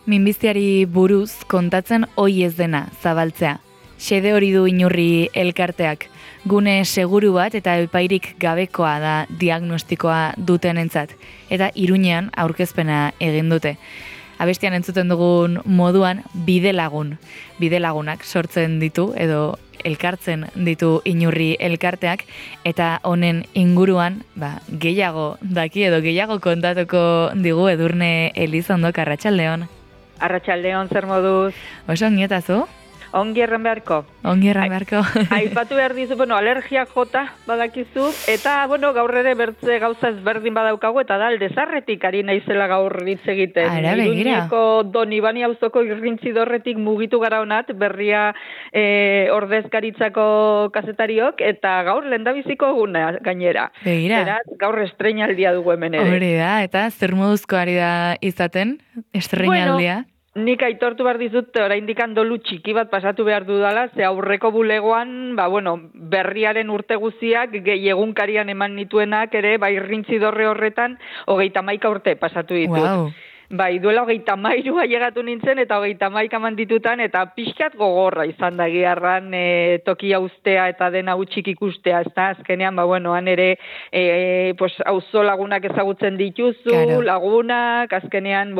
Minbiziari buruz kontatzen ohi ez dena zabaltzea. Xede hori du Inurri elkarteak. Gune seguru bat eta epairik gabekoa da diagnostikoa dutenentzat. Eta Iruñean aurkezpena egin dute. Abestian entzuten dugun moduan bidelagun. Bidelagunak sortzen ditu edo elkartzen ditu Inurri elkarteak eta honen inguruan gehiago daki edo gehiago kontatuko digu Edurne Elizondok. Arratsaldeon. Arratsaldeon, zer moduz? Oso ongietazu? Ongi erran beharko. Ongi erran beharko. Aipatu behar dizu, alergia jota badakizu, eta, gaur ere bertze gauza ezberdin badaukagu, eta da, aldezarretik ari naizela gaur hitz egiten. Ara, begira. Iruñeko Donibani auzoko irrintzidorretik mugitu gara honat, berria ordezkaritzako kazetariok, eta gaur lehendabiziko eguna gainera. Begira. Beraz, gaur estreinaldia dugu hemen ere. Hori da, eta zer moduzko ari da izaten estreinaldia? Nik aitortu behar dizut, oraindik dolu txiki bat pasatu behar dudala, ze aurreko bulegoan, berriaren urte guziak, egunkarian eman nituenak ere, irrintzidorre horretan, 31 urte pasatu ditut. Wow. Duela 33 ailegatu nintzen, eta 31 eman ditutan, eta pixkat gogorra izan da giarran tokia ustea eta dena utxik ikustea, ez da, azkenean, han ere, auzo lagunak ezagutzen dituzu, claro. Lagunak, azkenean,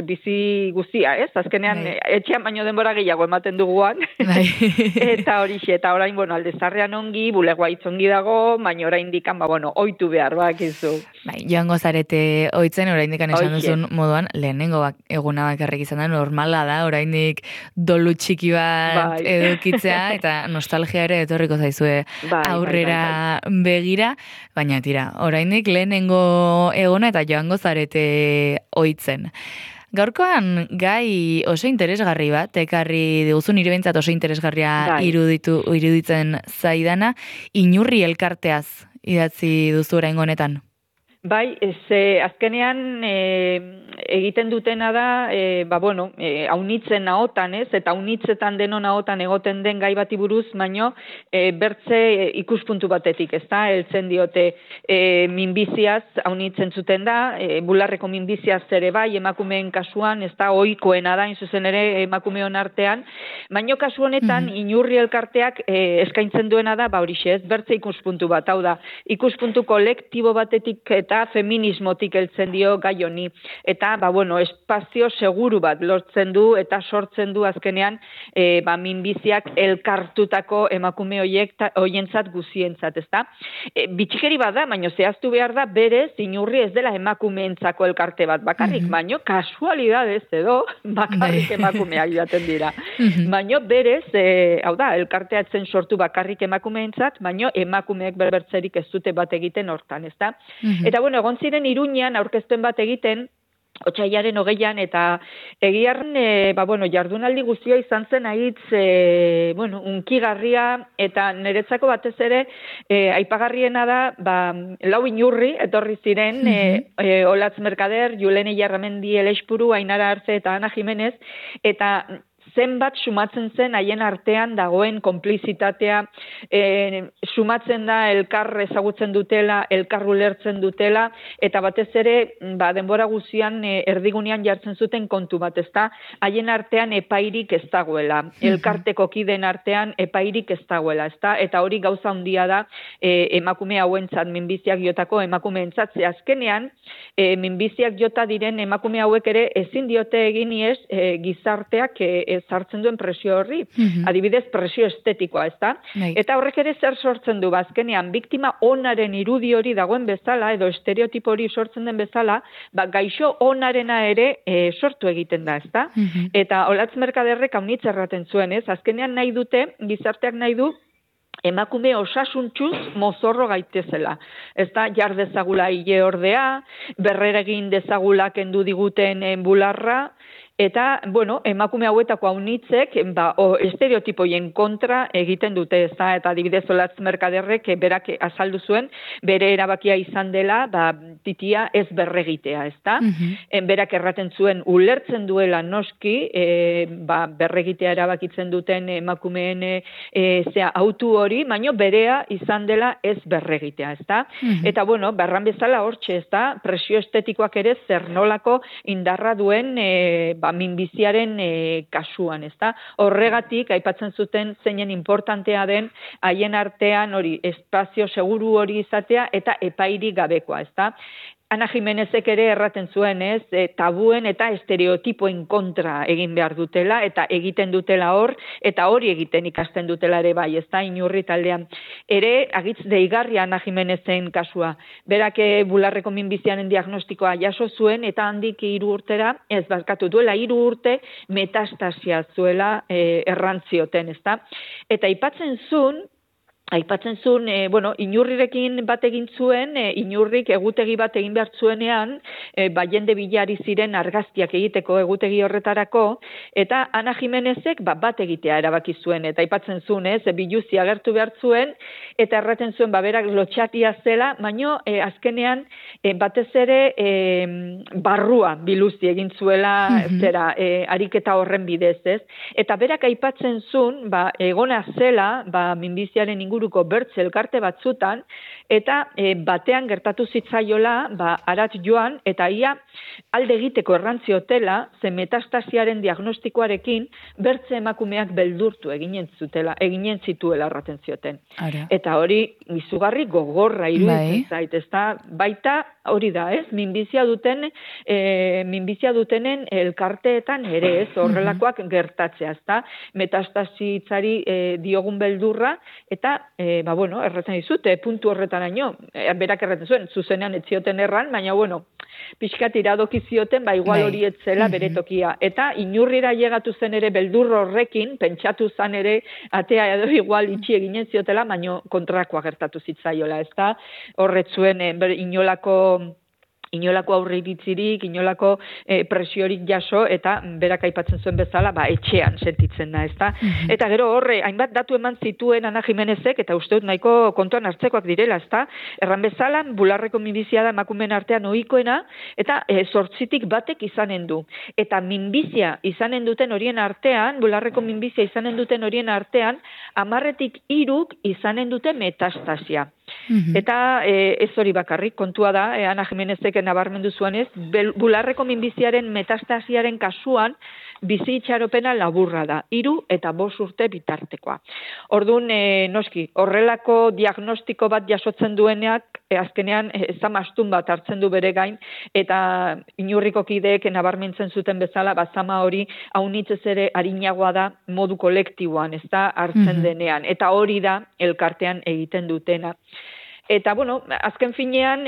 bizi guzia, ez? Azkenean, etxean baino denbora gehiago ematen duguan, eta horixe, eta orain, aldezarrean ongi, bulegoa itzongi dago, baina orain dikan, oitu behar, bakizu. Joango zarete oitzen, orain dikan esan duzun moduan, lehenengo eguna bakarrik izan da, normala da, oraindik dolu txiki bat edukitzea, eta nostalgia ere etorriko zaizue aurrera begira, baina tira, oraindik lehenengo eguna eta joango zarete oitzen. Gaurkoan gai oso interesgarri bat, ekarri diguzun nire behintzat oso interesgarria iruditzen zaidana, Inurri elkarteaz idatzi duzu oraingo honetan. Azkenean egiten dutena da, aunitzen ahotan, ez? Eta aunitzetan denon ahotan egoten den gai bati buruz, baino bertze ikuspuntu batetik, ez da? Heltzen diote minbiziaz aunitzen zuten da, bularreko minbiziaz ere bai, emakumeen kasuan, ez da, ohikoena da, zuzen ere emakumeon artean, baino kasu honetan, Inurri elkarteak eskaintzen duena da, horixe ez, bertze ikuspuntu bat, hau da, ikuspuntu kolektibo batetik eta feminismotik heltzen dio gai honi. Eta, espazio seguru bat lortzen du eta sortzen du azkenean minbiziak elkartutako emakume hoientzat guzientzat, ezta? Bitxikeri bat da, baina zehaztu behar da berez Inurri ez dela emakumeentzako elkarte bat bakarrik, baina kasualidadez edo bakarrik emakumeak joaten dira. Baina berez, hau da, elkartea etzen sortu bakarrik emakumeentzat, baina emakumeek berbertzerik ez dute bat egiten hortan, ezta? Eta egon ziren Iruñean aurkezpen bat egiten, otsailaren 20an, eta egiarren, jardunaldi guztia izan zen ahitz, unkigarria, eta niretzako batez ere, aipagarriena da, 4 Inurri, etorri ziren, Olatz Merkader, Julene Jarramendi Elexpuru, Ainara Arze eta Ana Jimenez, eta zenbat sumatzen zen haien artean dagoen konplizitatea, sumatzen da elkar ezagutzen dutela, elkar ulertzen dutela, eta batez ere denbora guzian erdigunean jartzen zuten kontu bat, ezta? Haien artean epairik ez dagoela, elkarteko kideen artean epairik ez dagoela, ezta? Eta hori gauza handia da emakume hauentzat, minbiziak jotako emakumeentzat, ze azkenean minbiziak jota diren emakume hauek ere ezin diote egin iez gizarteak sartzen duen presio horri, adibidez presio estetikoa, ezta? Eta horrek ere zer sortzen du, azkenean biktima onaren irudi hori dagoen bezala, edo estereotipo hori sortzen den bezala, gaixo onarena ere sortu egiten da, ezta? Eta Olatz Merkaderrek aunitz erraten zuen, ez? Azkenean nahi dute, gizarteak nahi du, emakume osasuntxuz mozorro gaitezela. Ez da, jar dezagula hile ordea, berrera egin dezagula kendu diguten bularra, Eta, emakume hauetako haunitzek, estereotipoien kontra egiten dute, eta adibidez Olatz Merkaderrek berak azaldu zuen, bere erabakia izan dela, titia ez berregitea, ezta? Berak erraten zuen, ulertzen duela noski, berregitea erabakitzen duten emakumeen autu hori, baino berea izan dela ez berregitea, ezta? Eta, berran bezala hortxe, ezta? Presio estetikoak ere zer nolako indarra duen, minbiziaren kasuan, ezta? Horregatik, aipatzen zuten zeinen importantea den, haien artean hori, espazio seguru hori izatea eta epairik gabekoa, ezta? Ana Jimenezek ere erraten zuen, ez, tabuen eta estereotipoen kontra egin behar dutela, eta egiten dutela hor, eta hori egiten ikasten dutela ere bai, ez da, Inurri taldean. Ere, agitz deigarria Ana Jimenezen kasua. Berak bularreko minbiziaren diagnostikoa jaso zuen, eta handik 3 urtera, ez barkatu duela 3 urte, metastasia zuela errantzioten, ez da. Eta aipatzen zuen, Inurrirekin bat egin zuen, Inurrik egutegi bat egin behar zuenean, jende bilari ziren argazkiak egiteko egutegi horretarako, eta Ana Jimenezek bat egitea erabaki zuen, eta aipatzen zuen, biluzi agertu behar zuen, eta erraten zuen, berak lotxatia zela, baino azkenean batez ere barrua biluzi egin zuela, ariketa horren bidez, ez? Eta berak aipatzen zuen, egona zela, minbiziaren inguruko bertze elkarte batzutan, eta batean gertatu zitzaiola, arat joan, eta ia alde egiteko errantziotela, ze metastasiaren diagnostikoarekin, bertze emakumeak beldurtu eginen zituela erraten zioten. Eta hori, izugarri gogorra iruditzen zait, ezta? Baita, hori da, ez? Minbizia dutenen elkarteetan ere, ez? Horrelakoak gertatzea, ezta? Metastasitzari diogun beldurra, eta erratzen dizute, puntu horretaraino, berak erratzen zuen, zuzenean etzioten erran, baina, pixkat iradoki zioten, igual hori etzela bere tokia. Eta Inurrira llegatu zen ere beldur horrekin, pentsatu zen ere, atea edo igual itxi eginen ziotela, baina kontrakoa gertatu zitzaiola, ez da? Horretzuen, inolako aurreiritzirik, inolako presiorik jaso, eta berak aipatzen zuen bezala, etxean sentitzen da, ezta? Eta gero horre, hainbat datu eman zituen Ana Jimenezek, eta uste dut nahiko kontuan hartzekoak direla, ezta? Erran bezala, bularreko minbizia da emakumeen artean ohikoena, eta 8tik batek izanen du. Eta minbizia izanen duten horien artean, bularreko minbizia izanen duten horien artean, 10tik 3 izanen dute metastasia. Eta ez hori bakarrik, kontua da, Ana Jimenezek nabarmendu zuenez, bularreko minbiziaren metastasiaren kasuan, bizi itxaropena laburra da, 3 eta 5 urte bitartekoa. Orduan, noski, horrelako diagnostiko bat jasotzen dueneak, azkenean zamastun bat hartzen du bere gain, eta Inurriko kideek nabarmentzen zuten bezala, zama hori haunitzez ere arinagoa da modu kolektiboan, ez da hartzen denean, eta hori da elkartean egiten dutena. Eta, azken finean,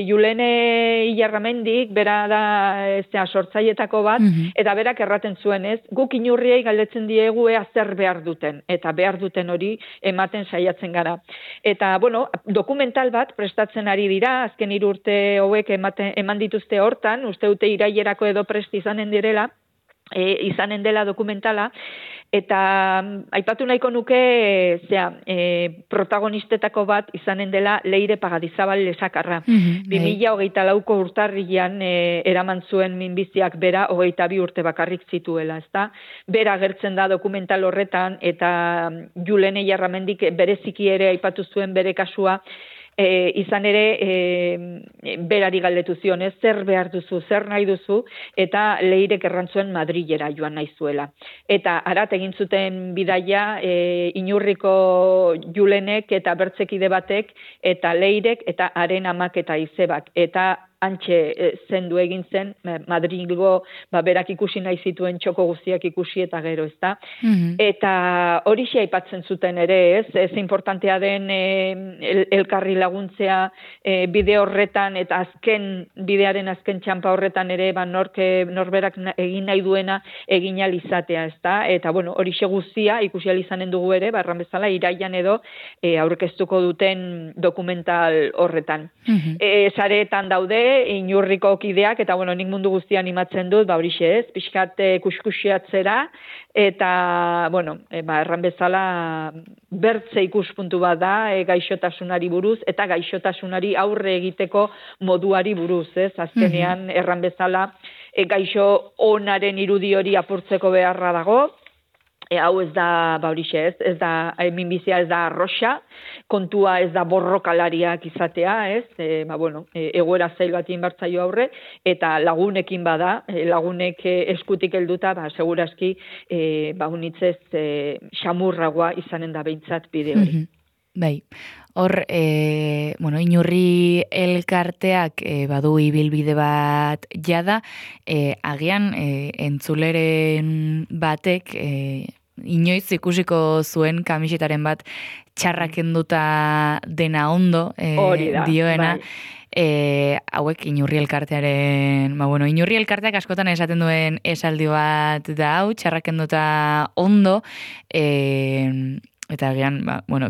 Julene Ilarramendik, bera da sortzailetako bat, eta berak erraten zuen, ez? Guk Inurriei galdetzen diegu zer behar duten, eta behar duten hori ematen saiatzen gara. Eta, dokumental bat prestatzen ari dira, azken 3 urte hauek eman dituzte hortan, uste dute irailerako edo prest izanen dela dokumentala, eta aipatu nahiko nuke protagonistetako bat izanen dela Leire Pagadizabal Lesakarra. 2024ko urtarrian eraman zuen minbiziak bera 22 urte bakarrik zituela, ezta? Bera agertzen da dokumental horretan, eta Julene Ilarramendik bereziki ere aipatu zuen bere kasua, izan ere berari galdetu zion, zer behar duzu, zer nahi duzu, eta Leirek errantzuen Madrilera joan nahi zuela. Eta arat egin zuten bidaia Inurriko Julenek eta bertzekide batek, eta Leirek eta haren amak eta izebak. Eta antxe zendu egin zen, Madrilgo berak ikusi nahi zituen txoko guztiak ikusi eta gero, ezta? Eta hori aipatzen zuten ere, ez importantea den elkarri laguntzea bide horretan, eta bidearen azken txampa horretan ere, norberak egin nahi duena egin alizatea, ezta? Eta, hori guztia ikusi alizanen dugu ere, barran bezala, iraian edo aurkeztuko duten dokumental horretan. Sareetan daude, Inurriko kideak, eta nik mundu guztia animatzen dut, horixe ez, pixkat kuskusiatzera, eta, erran bezala, bertze ikuspuntu bat da, gaixotasunari buruz, eta gaixotasunari aurre egiteko moduari buruz, ez, azkenean, erran bezala, gaixo onaren irudi hori apurtzeko beharra dago, hau ez da, horixe ez da, minbizia ez da arroxa, kontua ez da borrokalariak izatea, ez, egoera zail bat inbartzaio aurre, eta lagunekin bada, lagunek eskutik helduta, segurazki, unitzez, xamurragoa izanen da behintzat bide hori. Bai, hor, Inurri elkarteak badu ibilbide bat jada, agian entzuleren batek inoiz ikusiko zuen kamisetaren bat txarrak enduta dena ondo dioena. Bai. Hauek Inurri elkartearen, Inurri elkarteak askotan esaten duen esaldi bat da hau, txarrak enduta ondo, eta agian,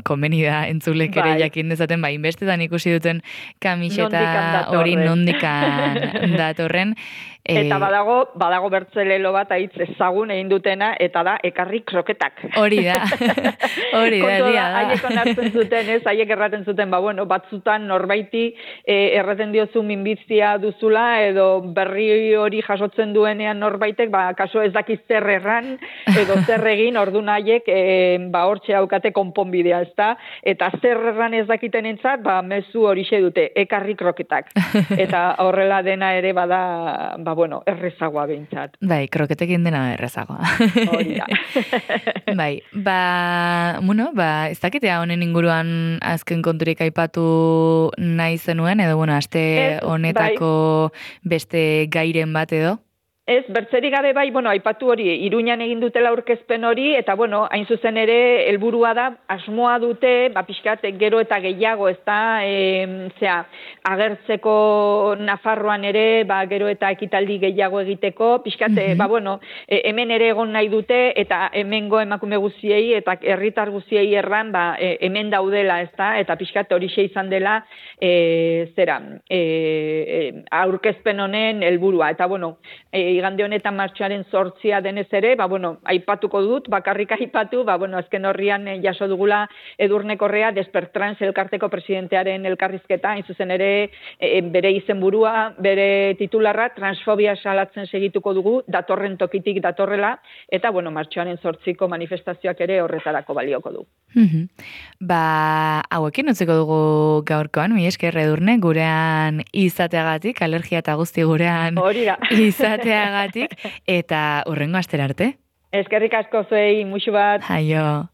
konbeni da entzulek ere jakin dezaten, inbestetan ikusi duten kamiseta hori nondikan datorren. Eta badago bertzelelo bat aitz ezagun egin dutena, eta da, ekarri kroketak. Hori da, egia da. Haiek onartzen zuten, haiek erraten zuten, batzutan norbaiti erraten diozu minbizia duzula, edo berri hori jasotzen duenean norbaitek, kaso ez dakiz zer erran, edo zer egin, ordun haiek, hortxe haukate konponbidea, ezta? Eta zer erran ez dakiten entzat, mezu horixe dute, ekarri kroketak. Eta horrela dena ere bada, errezagoa behintzat. Bai, kroketekin dena errezagoa. Hori da. Ez dakitea honen inguruan azken konturik aipatu nahi zenuen, edo aste honetako beste gairen bat edo? Ez, bertzerik gabe aipatu hori, Iruñan egin dutela aurkezpen hori, eta hain zuzen ere, helburua da, asmoa dute, pixkat, gero eta gehiago, ez da, agertzeko Nafarroan ere, gero eta ekitaldi gehiago egiteko, pixkat, hemen ere egon nahi dute, eta hemengo emakume guziei, eta herritar guziei erran, hemen daudela, ez da, eta pixkat horixe izan dela, aurkezpen honen helburua, eta igande honetan martxoaren 8 denez ere, aipatuko dut, bakarrik aipatu, azken horrian jaso dugula Edurne Korrea, Despertrans elkarteko presidentearen elkarrizketa, hain zuzen ere, bere izenburua, bere titularra, transfobia salatzen segituko dugu, datorren tokitik datorrela, eta martxoaren 8ko manifestazioak ere horretarako balioko du. Hauekin utziko dugu gaurkoan, mi esker Edurne, gurean izateagatik, alergia eta guzti gurean izateagatik, eta hurrengo astera arte. Eskerrik asko zuei, musu bat. Aio.